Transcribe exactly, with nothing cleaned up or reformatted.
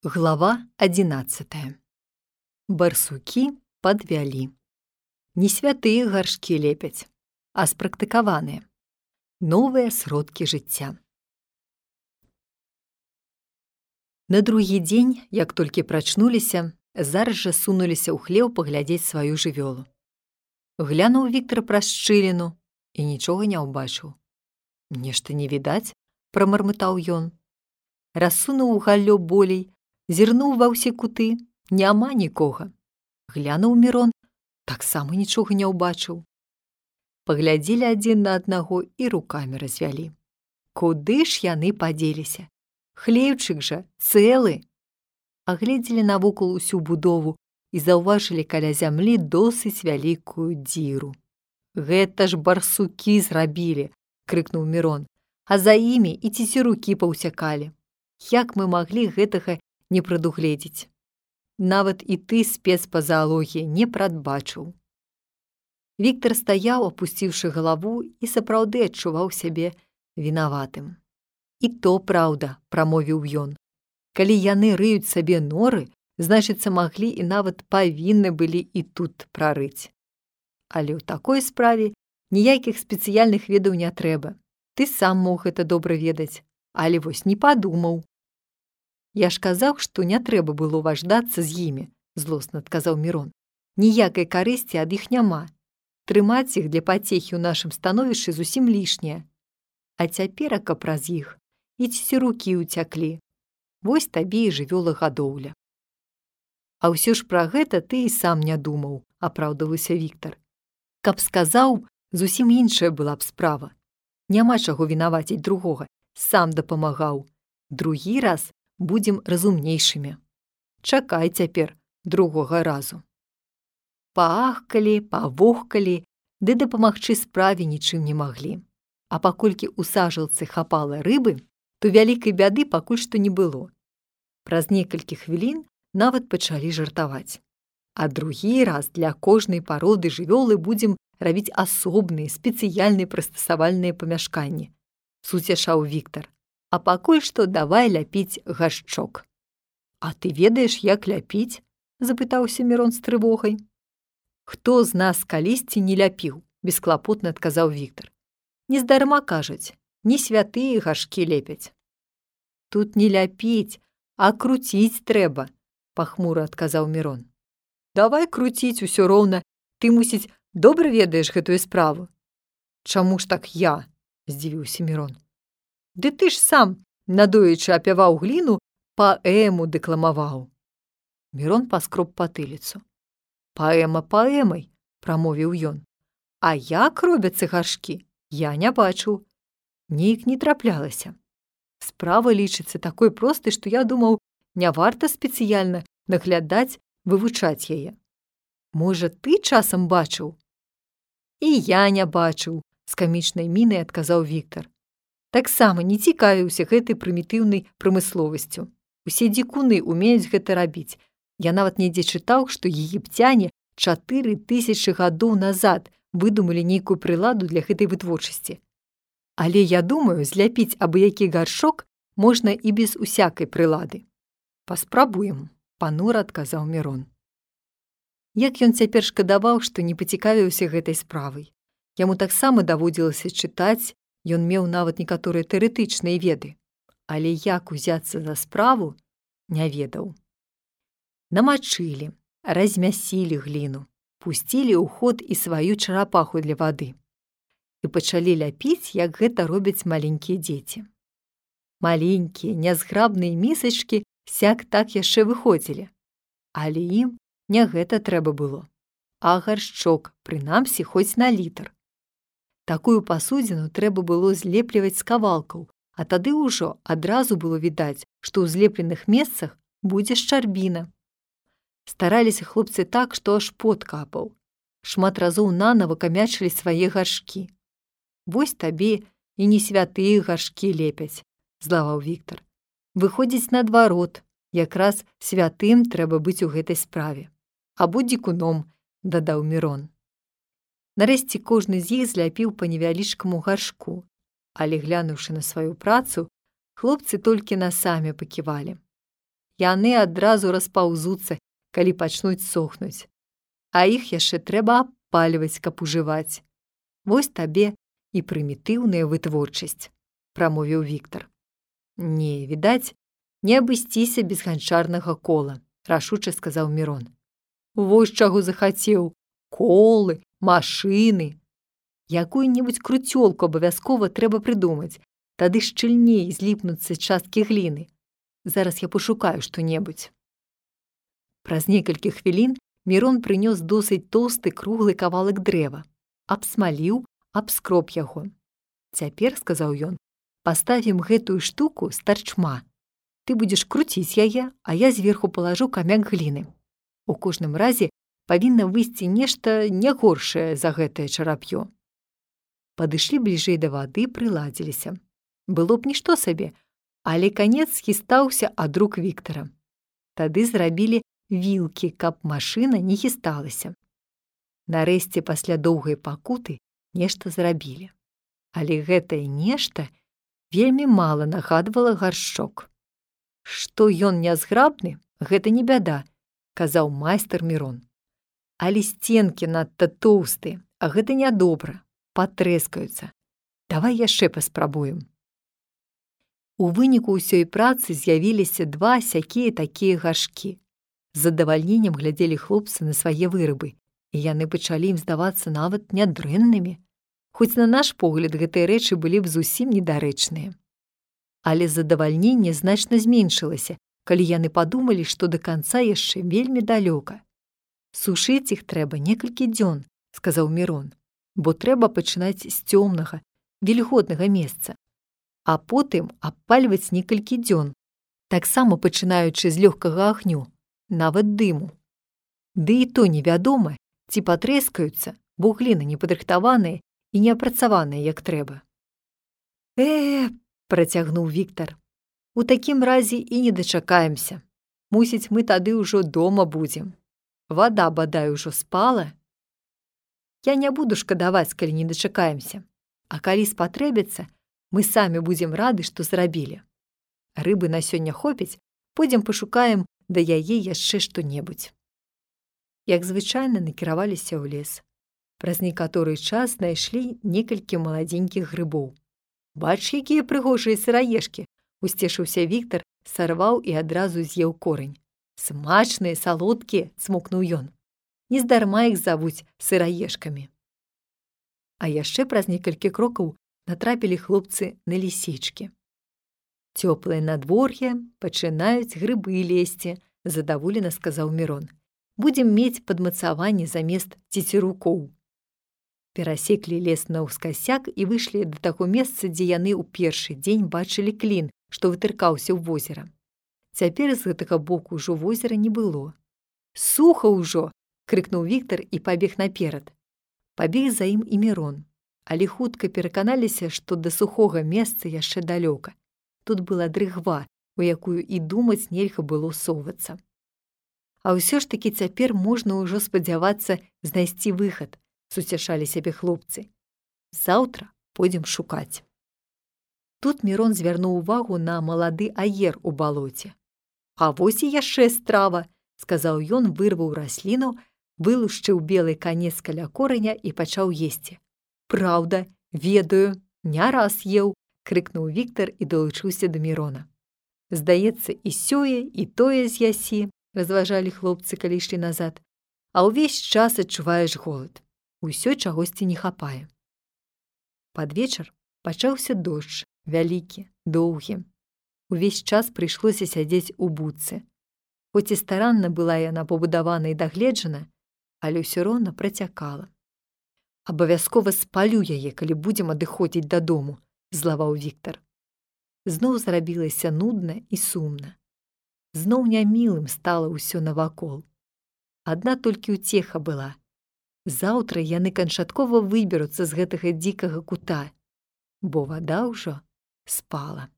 Глава одиннадцатая. Барсукі падвялі. Не святыя гаршкі лепяць, а спрактыкаваныя. Новыя сродкі жыцця. На другі дзень, як толькі прачнуліся, зараз жа сунуліся ў хлеў паглядзець сваю жывёлу. Глянуў Віктар праз шчыліну і нічога не ўбачыў. «Нешта не відаць», – прамармытаў ён. Рассунуў галлё болей, зірнуў ва ўсе куты, няма нікога. Глянуў Мірон, таксама нічога не ўбачыў. Паглядзелі адзін на аднаго і рукамі развялі. Куды ж яны падзеліся? Хлеўчык жа цэлы. Агледзелі навокал усю будову і заўважылі каля зямлі досыць вялікую дзіру. «Гэта ж барсукі зрабілі!» – крыкнуў Мірон. «А за імі і цецерукі паўсякалі. Як мы маглі гэтага не прадугледзець? Нават і ты, спец па заалогіі, не прадбачыў». Віктар стаяў, апусціўшы галаву, і сапраўды адчуваў сябе вінаватым. «І то праўда», – прамовіў ён. «Калі яны рыюць сабе норы, значыцца, маглі і нават павінны былі і тут прарыць. Але ў такой справе ніякіх спецыяльных ведаў не трэба. Ты сам мог гэта добра ведаць, але вось не падумаў». «Я ж казаў, што не трэба было важдацца з імі», – злосна адказаў Мірон. «Ніякай карысці ад іх няма. Трымаць іх для пацехі ў нашым становішчы зусім лішняе. А цяперака праз іх і цецерукі ўцяклі. Вось табе і жывёлагадоўля». «А ўсё ж пра гэта ты і сам не думаў», – апраўдваўся Віктар. «Каб сказаў, зусім іншая была б справа. Няма чаго вінаваціць другога, сам дапамагаў. Другі раз будзем разумнейшымі. Чакай цяпер другога разу». Паахкалі, павохкалі, ды дапамагчы справе нічым не маглі. А паколькі ў сажалцы хапала рыбы, то вялікай бяды пакуль што не было. Праз некалькі хвілін нават пачалі жартаваць. «А другі раз для кожнай пароды жывёлы будзем рабіць асобныя, спецыяльныя прыстасавальныя памяшканні», – суцяшаў Віктар. «А пакуль што давай ляпіць гаршчок». «А ты ведаеш, як ляпіць?» – запытаўся Мірон з трывогай. «Хто з нас калісьці не ляпіў?» – бесклапотна адказаў Віктар. «Нездарма кажуць, не святыя гаршкі лепяць». «Тут не ляпіць, а круціць трэба», – пахмура адказаў Мірон. «Давай круціць усё роўна, ты, мусіць, добра ведаеш гэтую справу». «Чаму ж так я?» – здзівіўся Мірон. «Ды ты ж сам, надоечы апяваў гліну, паэму дэкламаваў». Мірон паскроб патыліцу. «Паэма паэмай», – прамовіў ён. «А як робяцца гаршкі, я не бачыў. Нейк не траплялася. Справа лічыцца такой простай, што я думаў, не варта спецыяльна наглядаць, вывучаць яе. Можа, ты часам бачыў?» «І я не бачыў», – з камічнай мінай адказаў Віктар. «Таксама не цікавіўся гэтай прымітыўнай прамысловасцю. Усе дзікуны ўмеюць гэта рабіць. Я нават недзе чытаў, што егіпцяне чатыры тысячы гадоў назад выдумалі нейкую прыладу для гэтай вытворчасці. Але я думаю, зляпіць абы-які гаршок можна і без усякай прылады». «Паспрабуем», – панура адказаў Мірон. Як ён цяпер шкадаваў, што не пацікавіўся гэтай справай. Яму таксама даводзілася чытаць, ён меў нават некаторыя тэарэтычныя веды. Але як узяцца за справу, не ведаў. Намачылі, размясілі гліну, пусцілі ў ход і сваю чарапаху для вады. І пачалі ляпіць, як гэта робяць маленькія дзеці. Маленькія, нязграбныя місачкі сяк-так яшчэ выходзілі. Але ім не гэта трэба было, а гаршчок, прынамсі, хоць на літр. Такую пасудзіну трэба было злепліваць з кавалкаў, а тады ўжо адразу было відаць, што ў злепленых месцах будзе шчарбіна. Стараліся хлопцы так, што аж пот капаў. Шмат разоў нанава камячылі свае гаршкі. «Вось табе і не святыя гаршкі лепяць», – злаваў Віктар. «Выходзіць наадварот, якраз святым трэба быць у гэтай справе. Або дзікуном», – дадаў Мірон. Нарэшце кожны з іх зляпіў па невялічкаму гаршку, але, глянуўшы на сваю працу, хлопцы толькі насамі паківалі. яны адразу распаўзуцца, калі пачнуць сохнуць. А іх яшчэ трэба абпальваць, каб ужываць. Вось табе і прымітыўная вытворчасць, прамовіў Віктар. Не, відаць, не абысціся без ганчарнага кола, рашуча сказаў Мірон. Вось чаго захацеў. Колы, машыны. Якую-небудзь круцёлку абавязкова трэба прыдумаць, тады шчыльней зліпнуцца часткі гліны. Зараз я пашукаю што-небудзь. Праз некалькі хвілін Мірон прынёс досыць тоўсты круглы кавалак дрэва, абсмаліў, абскроб яго. Цяпер, сказаў ён, паставім гэтую штуку з тарчма. Ты будзеш круціць яе, а я зверху палажу камяк гліны. У кожным разе павінна выйсці нешта не горшае за гэтае чарап'ё. Падышлі бліжэй да вады, прыладзіліся. Было б нішто сабе, але канец хістаўся ад рук Віктара. Тады зрабілі вілкі, каб машына не хісталася. Нарэшце, пасля доўгай пакуты, нешта зрабілі. Але гэтае нешта вельмі мала нагадвала гаршчок. Што ён нязграбны, гэта не бяда, казаў майстар Мірон. Але сценкі надта тоўстыя, а гэта нядобра, патрэскаюцца. Давай яшчэ паспрабуем. У выніку ўсёй працы з'явіліся два сякія такія гаршкі. З задавальненнем глядзелі хлопцы на свае вырабы, і яны пачалі ім здавацца нават нядрэннымі, хоць на наш погляд гэтыя рэчы былі б зусім недарэчныя. Але задавальненне значна зменшылася, калі яны падумалі, што да канца яшчэ вельмі далёка. Сушыць іх трэба некалькі дзён, сказаў Мірон, бо трэба пачынаць з цёмнага, вільготнага месца, а потым абпальваць некалькі дзён, таксама пачынаючы з лёгкага агню, нават дыму. Ды і то невядома, ці патрэскаюцца, бо гліна непадрыхтаваная і не апрацаваная як трэба. Э, працягнуў Віктар, у такім разе і не дачакаемся. Мусіць, мы тады ўжо дома будзем. Вада, бадай, ужо спала. Я не буду шкадаваць, калі не дачакаемся. А калі спатрэбіцца, мы самі будзем рады, што зрабілі. Рыбы на сёння хопіць, пойдзем пашукаем да яе яшчэ што-небудзь. Як звычайна, накіраваліся ў лес. Праз некаторы час знайшлі некалькі маладзенькіх грыбоў. Бач, якія прыгожыя сыраежкі, усцешыўся Віктар, сарваў і адразу з'еў корань. Смачныя, салодкія, цмокнуў ён. Нездарма іх завуць сыраежкамі. А яшчэ праз некалькі крокаў натрапілі хлопцы на лісічкі. Цёплае надвор'е, пачынаюць грыбы лезці, задаволена сказаў Мірон. Будзем мець падмацаванне замест цецерукоў. Перасеклі лес наўскасяк і выйшлі да таго месца, дзе яны ў першы дзень бачылі клін, што вытыркаўся ў возера. Цяпер з гэтага боку ўжо возера не было. Суха ўжо! Крыкнуў Віктар і пабег наперад. Пабег за ім і Мірон, але хутка пераканаліся, што да сухога месца яшчэ далёка. Тут была дрыгва, у якую і думаць нельга было совацца. А ўсё ж такі цяпер можна ўжо спадзявацца знайсці выхад, суцяшалі сябе хлопцы. Заўтра пойдзем шукаць. Тут Мірон звярнуў увагу на малады аер у балоце. А вось і яшчэ страва, сказаў ён, вырваў расліну, вылушчыў белы канец каля кораня і пачаў есці. Праўда, ведаю, не раз еў, крыкнуў Віктар і далучыўся да Мірона. Здаецца, і сёе, і тое з'ясі, разважалі хлопцы, калі ішлі назад, а ўвесь час адчуваеш голад. Усё чагосьці не хапае. Пад вечар пачаўся дождж, вялікі, доўгі. Увесь час прыйшлося сядзець у будцы. Хоць і старанна была яна пабудавана і дагледжана, але ўсё роўна працякала. Абавязкова спалю яе, калі будзем адыходзіць дадому, злаваў Віктар. Зноў зрабілася нудна і сумна. Зноў нямілым стала ўсё навакол. Адна толькі ўцеха была. Заўтра яны канчаткова выберуцца з гэтага дзікага кута, бо вада ўжо спала.